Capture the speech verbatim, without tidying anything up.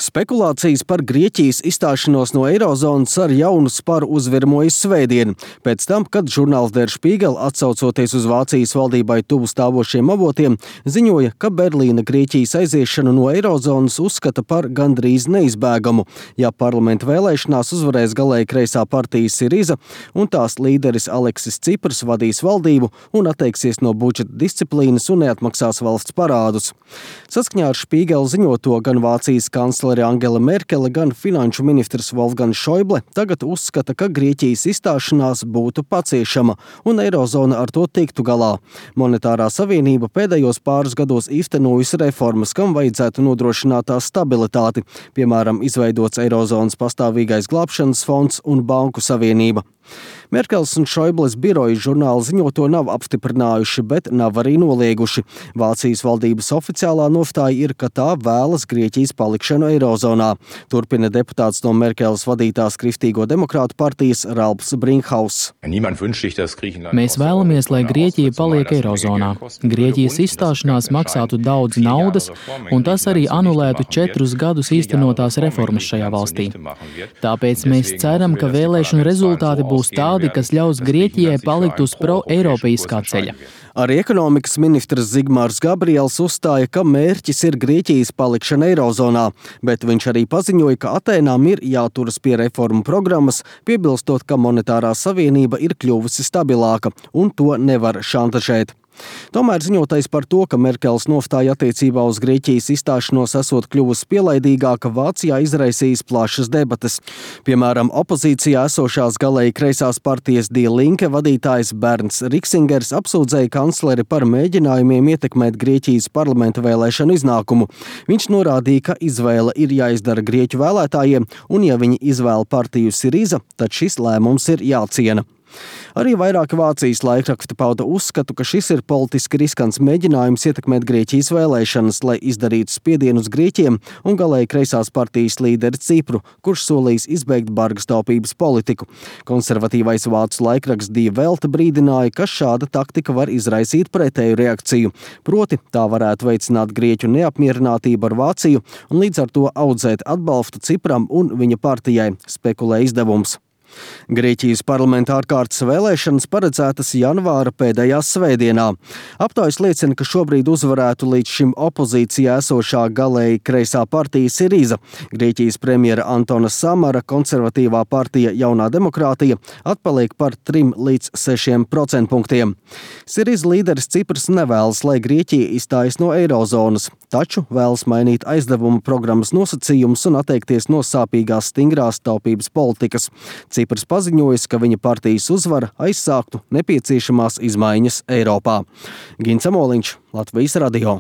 Spekulācijas par Grieķijas izstāšanos no eirozonas ar jaunu sparu uzvirmojas svētdien, pēc tam, kad žurnāls Der Spiegel, atsaucoties uz Vācijas valdībai tuvu stāvošiem avotiem, ziņoja, ka Berlīna Grieķijas aiziešanu no eirozonas uzskata par gandrīz neizbēgamu, ja parlamenta vēlēšanās uzvarēs galēji kreisā partija Siriza un tās līderis Aleksis Cipras vadīs valdību un atteiksies no budžeta disciplīnas un neatmaksās valsts parādus. Saskaņā ar Spiegel ziņoto gan Vācijas kanclere Angela Merkele, gan finanšu ministrs Wolfgangs Schäuble tagad uzskata, ka Grieķijas izstāšanās būtu paciešama un eirozona ar to tiktu galā. Monetārā savienība pēdējos pāris gados īstenojusi reformas, kam vajadzētu nodrošināt tās stabilitāti, piemēram, izveidots eirozonas pastāvīgais glābšanas fonds un banku savienība. Merkels un Schäubles biroji žurnāla ziņoto nav apstiprinājuši, bet nav arī nolieguši. Vācijas valdības oficiālā nostāja ir, ka tā vēlas Grieķijas palikšanu eirozonā. Turpina deputāts no Merkeles vadītās Kristīgo demokrātu partijas Ralfs Brinkhaus. Mēs vēlamies, lai Grieķija paliek eirozonā. Grieķijas izstāšanās maksātu daudz naudas, un tas arī anulētu četrus gadus īstenotās reformas šajā valstī. Tāpēc mēs ceram, ka vēlēšanu rezultāti būs tādi, kas ļaus Grieķijai palikt uz pro-eiropeiskā ceļa. Arī ekonomikas ministrs Zigmārs Gabriels uzstāja, ka mērķis ir Grieķijas palikšana eirozonā, bet viņš arī paziņoja, ka Atēnām ir jāturas pie reformu programmas, piebilstot, ka monetārā savienība ir kļuvusi stabilāka un to nevar šantažēt. Tomēr ziņotais par to, ka Merkeles nostāja attiecībā uz Grieķijas izstāšanos esot kļuvusi pielaidīgāka, Vācijā izraisījis plašas debates. Piemēram, opozīcijā esošās galēji kreisās partijas Die Linke vadītājs Bernds Riksingers apsūdzēja kancleri par mēģinājumiem ietekmēt Grieķijas parlamenta vēlēšanu iznākumu. Viņš norādīja, ka izvēle ir jāizdara Grieķu vēlētājiem, un ja viņi izvēla partiju Siriza, tad šis lēmums ir jāciena. Arī vairāki Vācijas laikraksti pauda uzskatu, ka šis ir politiski riskants mēģinājums ietekmēt Grieķijas vēlēšanas, lai izdarītu spiedienu uz Grieķiem un galēji kreisās partijas līderi Cipru, kurš solījis izbeigt bargas taupības politiku. Konservatīvais vācu laikraksts Die Welt brīdināja, ka šāda taktika var izraisīt pretēju reakciju, proti tā varētu veicināt Grieķu neapmierinātību ar Vāciju un līdz ar to audzēt atbalstu Cipram un viņa partijai, spekulē izdevums. Grieķijas parlamenta ārkārtas vēlēšanas paredzētas janvāra pēdējā svētdienā. Aptaujas liecina, ka šobrīd uzvarētu līdz šim opozīcijā esošā galēji kreisā partija Siriza. Grieķijas premjera Antona Samara konservatīvā partija Jaunā demokrātija atpaliek par trim līdz sešiem procentpunktiem. Siriza līderis Cipras nevēlas, lai Grieķija izstājas no eirozonas, taču vēlas mainīt aizdevumu programmas nosacījumus un atteikties no sāpīgās stingrās taupības politikas. Cipras paziņojas, ka viņa partijas uzvara aizsāktu nepieciešamās izmaiņas Eiropā. Gins Amoliņš, Latvijas radio.